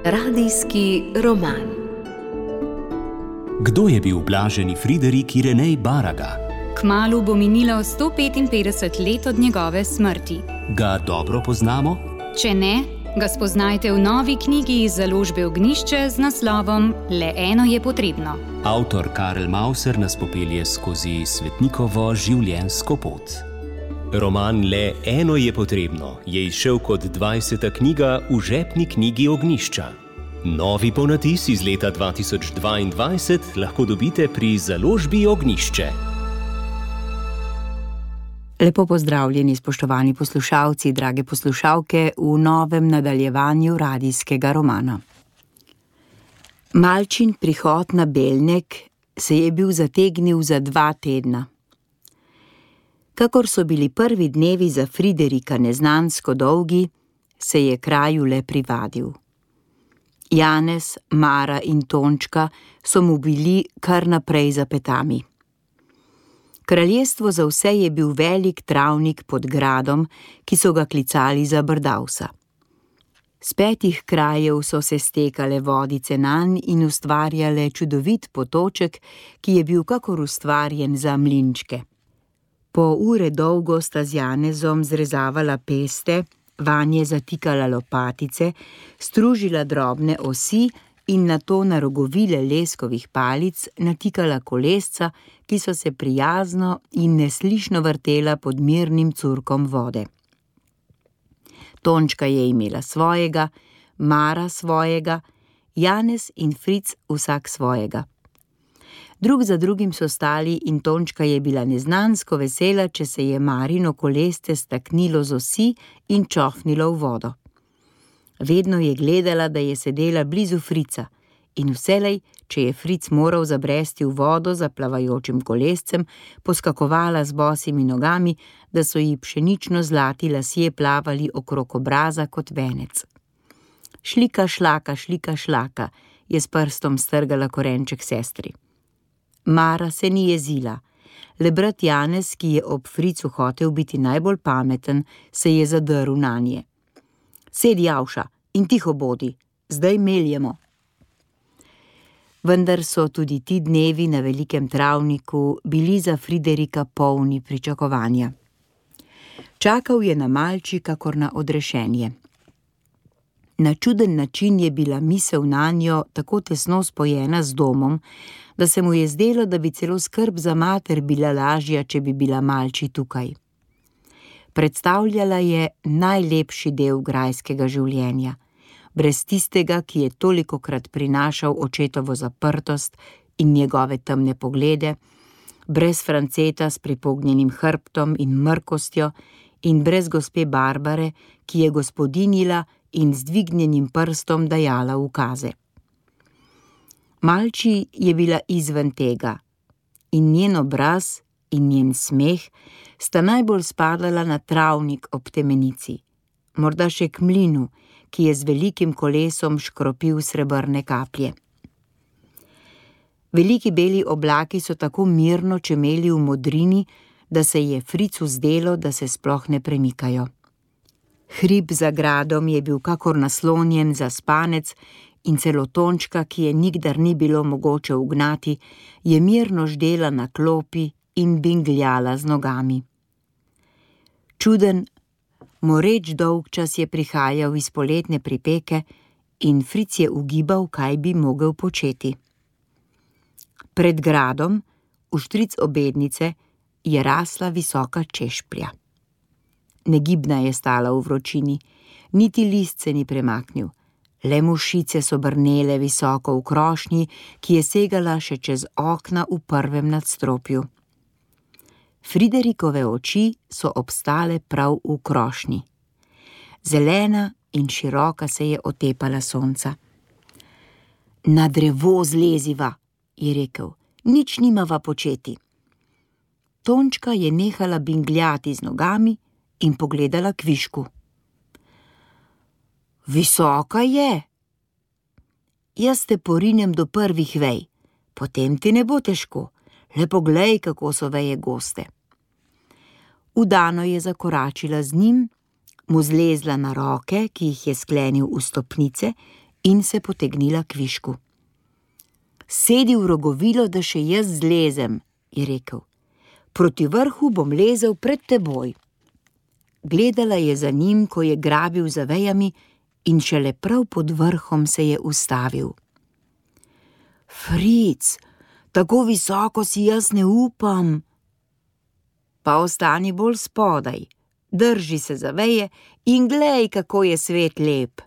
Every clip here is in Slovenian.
Radijski roman. Kdo je bil blaženi Friderik Irenej Baraga? Kmalu bo minilo 155 let od njegove smrti. Ga dobro poznamo? Če ne, ga spoznajte v novi knjigi iz založbe Ognjišče z naslovom Le eno je potrebno. Avtor Karel Mauser nas popelje skozi svetnikovo življenjsko pot. Roman Le eno je potrebno je izšel kot 20. knjiga v žepni knjigi Ognjišča. Novi ponatis iz leta 2022 lahko dobite pri založbi Ognjišče. Lepo pozdravljeni, spoštovani poslušalci, drage poslušalke, v novem nadaljevanju radijskega romana. Malčin prihod na Belnek se je bil zategnil za 2 tedna. Kakor so bili prvi dnevi za Friderika neznansko dolgi, se je kraju le privadil. Janez, Mara in Tončka so mu bili kar naprej za petami. Kraljestvo za vse je bil velik travnik pod gradom, ki so ga klicali za Brdavsa. Z 5 krajev so se stekale vodice nanj in ustvarjale čudovit potoček, ki je bil kakor ustvarjen za mlinčke. Po ure dolgo sta z Janezom zrezavala peste, vanje zatikala lopatice, stružila drobne osi in nato na rogovile leskovih palic natikala kolesca, ki so se prijazno in neslišno vrtela pod mirnim curkom vode. Tončka je imela svojega, Mara svojega, Janez in Fric vsak svojega. Drug za drugim so stali in Tončka je bila neznansko vesela, če se je Marino kolesce staknilo z osi in čofnilo v vodo. Vedno je gledala, da je sedela blizu Frica in vselej, če je Fric moral zabresti v vodo za plavajočim kolescem, poskakovala z bosimi nogami, da so ji pšenično zlati lasje plavali okrog obraza kot venec. Šlika, šlaka, je s prstom strgala korenček sestri. Mara se ni jezila. Le brat Janez, ki je ob Fricu hotel biti najbolj pameten, se je zadrl nanje. Sedi, Javša, in tiho bodi, zdaj meljemo. Vendar so tudi ti dnevi na velikem travniku bili za Friderika polni pričakovanja. Čakal je na Malči kakor na odrešenje. Na čuden način je bila misel nanjo tako tesno spojena z domom, da se mu je zdelo, da bi celo skrb za mater bila lažja, če bi bila Malči tukaj. Predstavljala je najlepši del grajskega življenja, brez tistega, ki je tolikokrat prinašal očetovo zaprtost in njegove temne poglede, brez Franceta s pripognjenim hrbtom in mrkostjo in brez gospe Barbare, ki je gospodinjila in z dvignjenim prstom dajala ukaze. Malči je bila izven tega in njen obraz in njen smeh sta najbolj spadala na travnik ob temenici, morda še k mlinu, ki je z velikim kolesom škropil srebrne kaplje. Veliki beli oblaki so tako mirno čemeli v modrini, da se je Fricu zdelo, da se sploh ne premikajo. Hrib za gradom je bil kakor naslonjen za spanec in celo Tončka, ki je nikdar ni bilo mogoče ugnati, je mirno ždela na klopi in bingljala z nogami. Čuden, moreč dolgčas je prihajal iz poletne pripeke in Fric je ugibal, kaj bi mogel početi. Pred gradom, vštric obednice, je rasla visoka češplja. Negibna je stala v vročini, niti list se ni premaknil, le mušice so brnele visoko v krošnji, ki je segala še čez okna v prvem nadstropju. Friderikove oči so obstale prav v krošnji. Zelena in široka se je otepala sonca. Na drevo zleziva, je rekel, nič nimava početi. Tončka je nehala bingljati z nogami in pogledala kvišku. Visoka je. Jaz te porinem do prvih vej, potem ti ne bo težko, le poglej, kako so veje goste. Vdano je zakoračila z njim, mu zlezla na roke, ki jih je sklenil v stopnice, in se potegnila k višku. Sedi v rogovilo, da še jaz zlezem, je rekel. Proti vrhu bom lezel pred teboj. Gledala je za njim, ko je grabil za vejami in šele prav pod vrhom se je ustavil. Fric, tako visoko si jaz ne upam. Pa ostani bolj spodaj, drži se za veje in glej, kako je svet lep.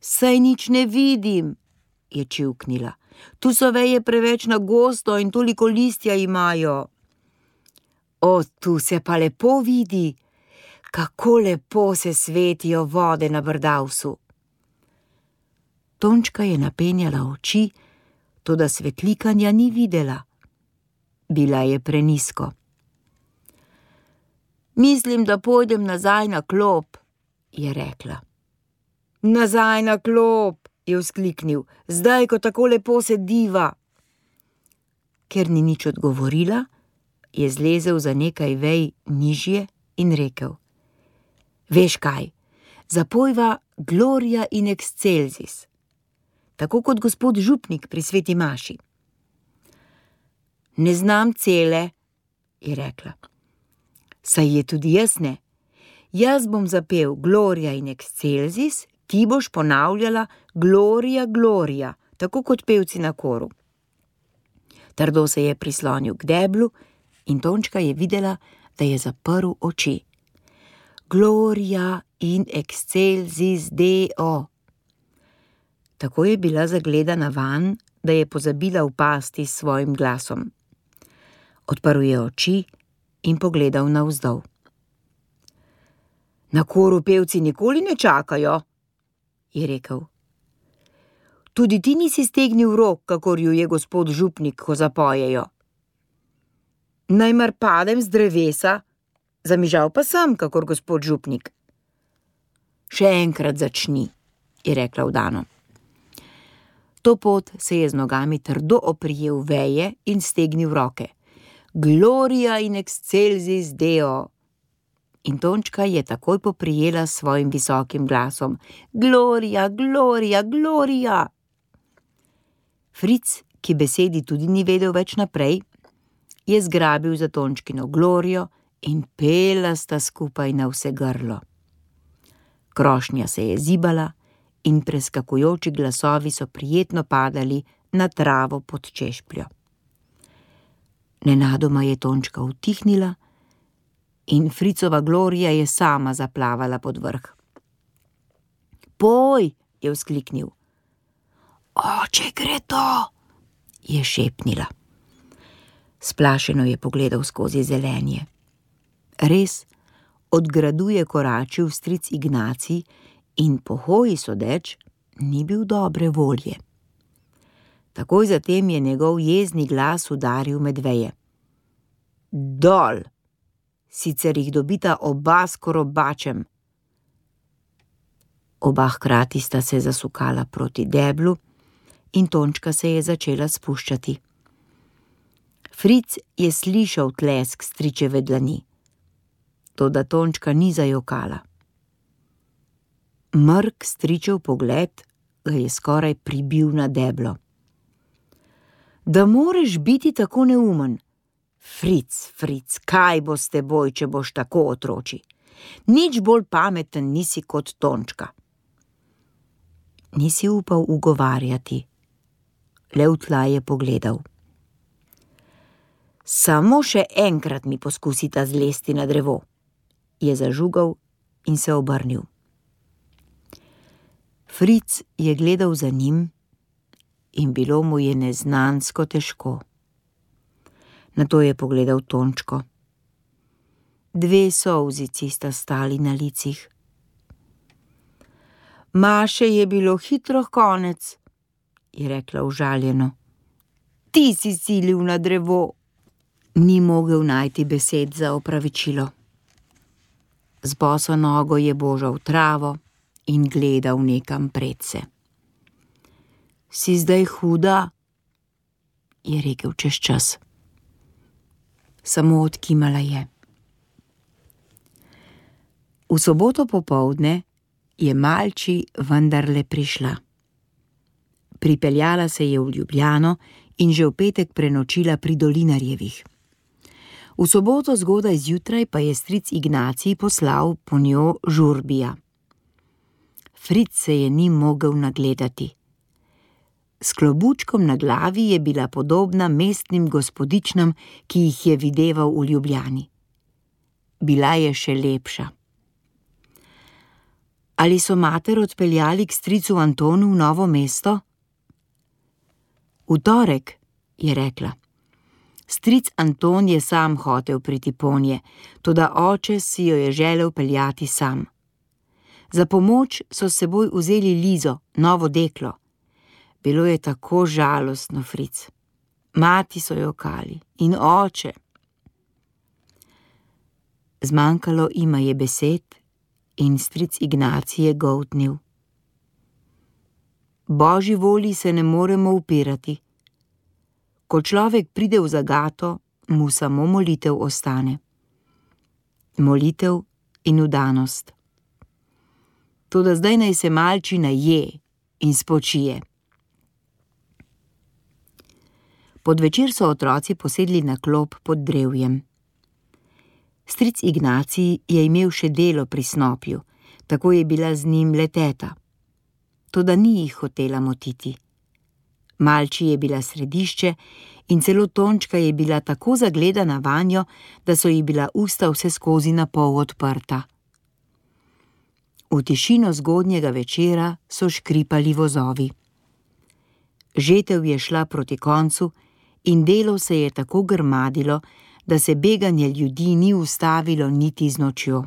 Saj nič ne vidim, je čivknila. Tu so veje preveč na gosto in toliko listja imajo. O, tu se pa lepo vidi, kako lepo se svetijo vode na Brdavsu. Tončka je napenjala oči, toda svetlikanja ni videla. Bila je prenizko. Mislim, da pojdem nazaj na klop, je rekla. Nazaj na klop, je vzkliknil, zdaj, ko tako lepo sediva. Ker ni nič odgovorila, je zlezel za nekaj vej nižje in rekel. Veš kaj, zapojva Gloria in Excelsis, tako kot gospod župnik pri sveti maši. Ne znam cele, je rekla. Saj je tudi jaz ne. Jaz bom zapel Gloria in Excelsis, ti boš ponavljala Gloria, Gloria, tako kot pevci na koru. Trdo se je prislonil k deblu in Tončka je videla, da je zaprl oči. Gloria in Excelsis Deo. Tako je bila zagledana vanj, da je pozabila upasti s svojim glasom. Odprl je oči in pogledal navzdol. Na koru pevci nikoli ne čakajo, je rekel. Tudi ti nisi stegnil rok, kakor ju je gospod župnik, ko zapojejo. Najmar padem z drevesa, zamižal pa sem, kakor gospod župnik. Še enkrat začni, je rekla vdano. To pot se je z nogami trdo oprijel veje in stegnil roke. Gloria in Excelsis Deo. In Tončka je takoj poprijela s svojim visokim glasom. Gloria, Gloria, Gloria. Fric, ki besedi tudi ni vedel več naprej, je zgrabil za Tončkino Glorijo in pela sta skupaj na vse grlo. Krošnja se je zibala in preskakujoči glasovi so prijetno padali na travo pod češpljo. Nenadoma je Tončka utihnila in Fricova Glorija je sama zaplavala pod vrh. Poj, je vzkliknil. Oče, gre to, je šepnila. Splašeno je pogledal skozi zelenje. Res, od gradu je koračil stric Ignacij in po hoji sodeč ni bil dobre volje. Takoj zatem je njegov jezni glas udaril med veje. Dol, sicer jih dobita oba s korobačem. Oba hkrati sta se zasukala proti deblu in Tončka se je začela spuščati. Fric je slišal tlesk stričeve dlani, toda Tončka ni zajokala. Mrk stričev pogled ga je skoraj pribil na deblo. Da moreš biti tako neumen. Fric, Fric, kaj bo s teboj, če boš tako otroči? Nič bolj pameten nisi kot Tončka. Nisi upal ugovarjati. Le v tla je pogledal. Samo še enkrat mi poskusita zlesti na drevo, je zažugal in se obrnil. Fric je gledal za njim in bilo mu je neznansko težko. Nato je pogledal Tončko. 2 solzici sta stali na licih. Maše je bilo hitro konec, je rekla užaljeno. Ti si silil na drevo. Ni mogel najti besed za opravičilo. Z boso nogo je božal travo in gledal nekam predse. Si zdaj huda? Je rekel čez čas. Samo odkimala je. V soboto popoldne je Malči vendarle prišla. Pripeljala se je v Ljubljano in že v petek prenočila pri Dolinarjevih. V soboto zgodaj zjutraj pa je stric Ignacij poslal po njo Žurbija. Fric se je ni mogel nagledati. S klobučkom na glavi je bila podobna mestnim gospodičnam, ki jih je videval v Ljubljani. Bila je še lepša. Ali so mater odpeljali k stricu Antonu v Novo mesto? V torek, je rekla. Stric Anton je sam hotel priti ponje, toda oče si jo je želel peljati sam. Za pomoč so s seboj vzeli Lizo, novo deklo. Bilo je tako žalostno, Fric. Mati so jokali in oče. Zmanjkalo ima je besed in stric Ignacij je goltnil. Božji volji se ne moremo upirati. Ko človek pride v zagato, mu samo molitev ostane. Molitev in vdanost. Toda zdaj naj se malčina je in spočije. Pod večer so otroci posedli na klop pod drevjem. Stric Ignacij je imel še delo pri snopju, tako je bila z njim le teta. Toda ni jih hotela motiti. Malči je bila središče in celo Tončka je bila tako zagledana vanjo, da so ji bila usta vse skozi na pol odprta. V tišino zgodnjega večera so škripali vozovi. Žetev je šla proti koncu in delo se je tako grmadilo, da se beganje ljudi ni ustavilo niti z nočjo.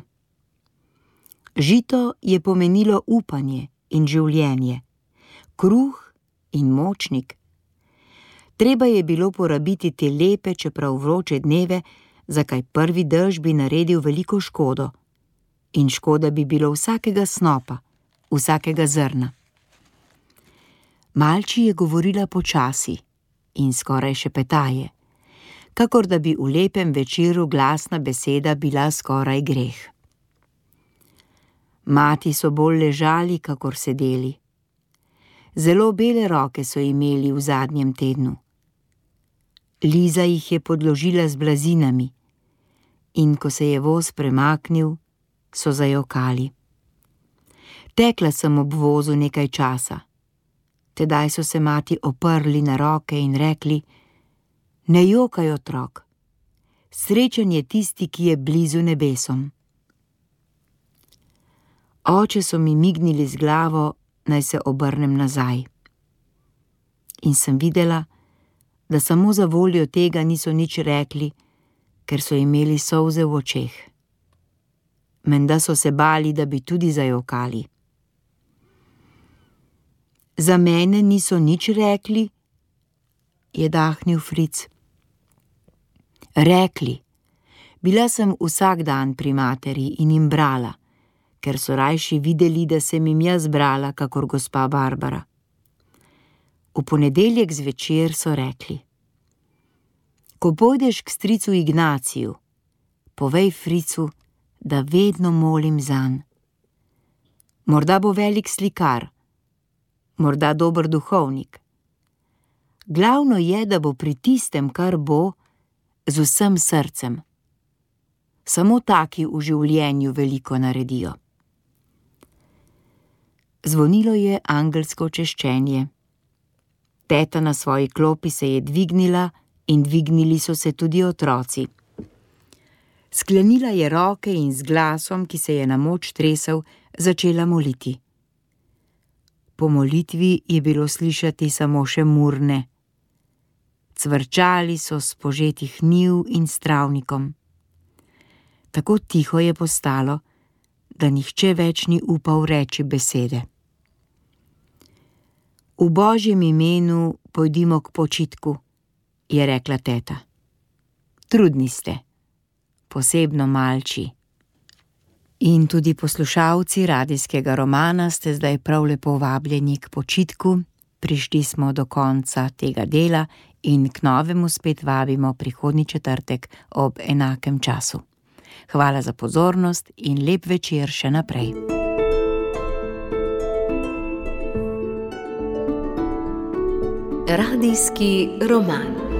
Žito je pomenilo upanje in življenje, kruh in močnik. Treba je bilo porabiti te lepe, čeprav vroče dneve, zakaj prvi dež bi naredil veliko škodo. In škoda bi bilo vsakega snopa, vsakega zrna. Malči je govorila počasi in skoraj šepetaje, kakor da bi v lepem večeru glasna beseda bila skoraj greh. Mati so bolj ležali, kakor sedeli. Zelo bele roke so imeli v zadnjem tednu. Liza jih je podložila z blazinami in ko se je voz premaknil, so zajokali. Tekla sem ob vozu nekaj časa. Tedaj so se mati oprli na roke in rekli: Ne jokaj, otrok, srečen je tisti, ki je blizu nebesom. Oče so mi mignili z glavo, naj se obrnem nazaj. In sem videla, da samo za voljo tega niso nič rekli, ker so imeli solze v očeh. Menda so se bali, da bi tudi zajokali. Za mene niso nič rekli, je dahnil Fric. Rekli. Bila sem vsak dan pri materi in jim brala, ker so rajši videli, da sem jim jaz brala, kakor gospa Barbara. V ponedeljek zvečer so rekli: Ko pojdeš k stricu Ignaciju, povej Fricu, da vedno molim zanj. Morda bo velik slikar, morda dober duhovnik. Glavno je, da bo pri tistem, kar bo, z vsem srcem. Samo taki v življenju veliko naredijo. Zvonilo je angelsko češčenje. Teta na svoji klopi se je dvignila in dvignili so se tudi otroci. Sklenila je roke in z glasom, ki se je na moč tresel, začela moliti. Po molitvi je bilo slišati samo še murne. Cvrčali so s požetih njiv in s travnikom. Tako tiho je postalo, da nihče več ni upal reči besede. V Božjem imenu pojdimo k počitku, je rekla teta. Trudni ste, posebno malči. In tudi poslušalci radijskega romana ste zdaj prav lepo vabljeni k počitku. Prišli smo do konca tega dela in k novemu spet vabimo prihodnji četrtek ob enakem času. Hvala za pozornost in lep večer še naprej. Radijski roman.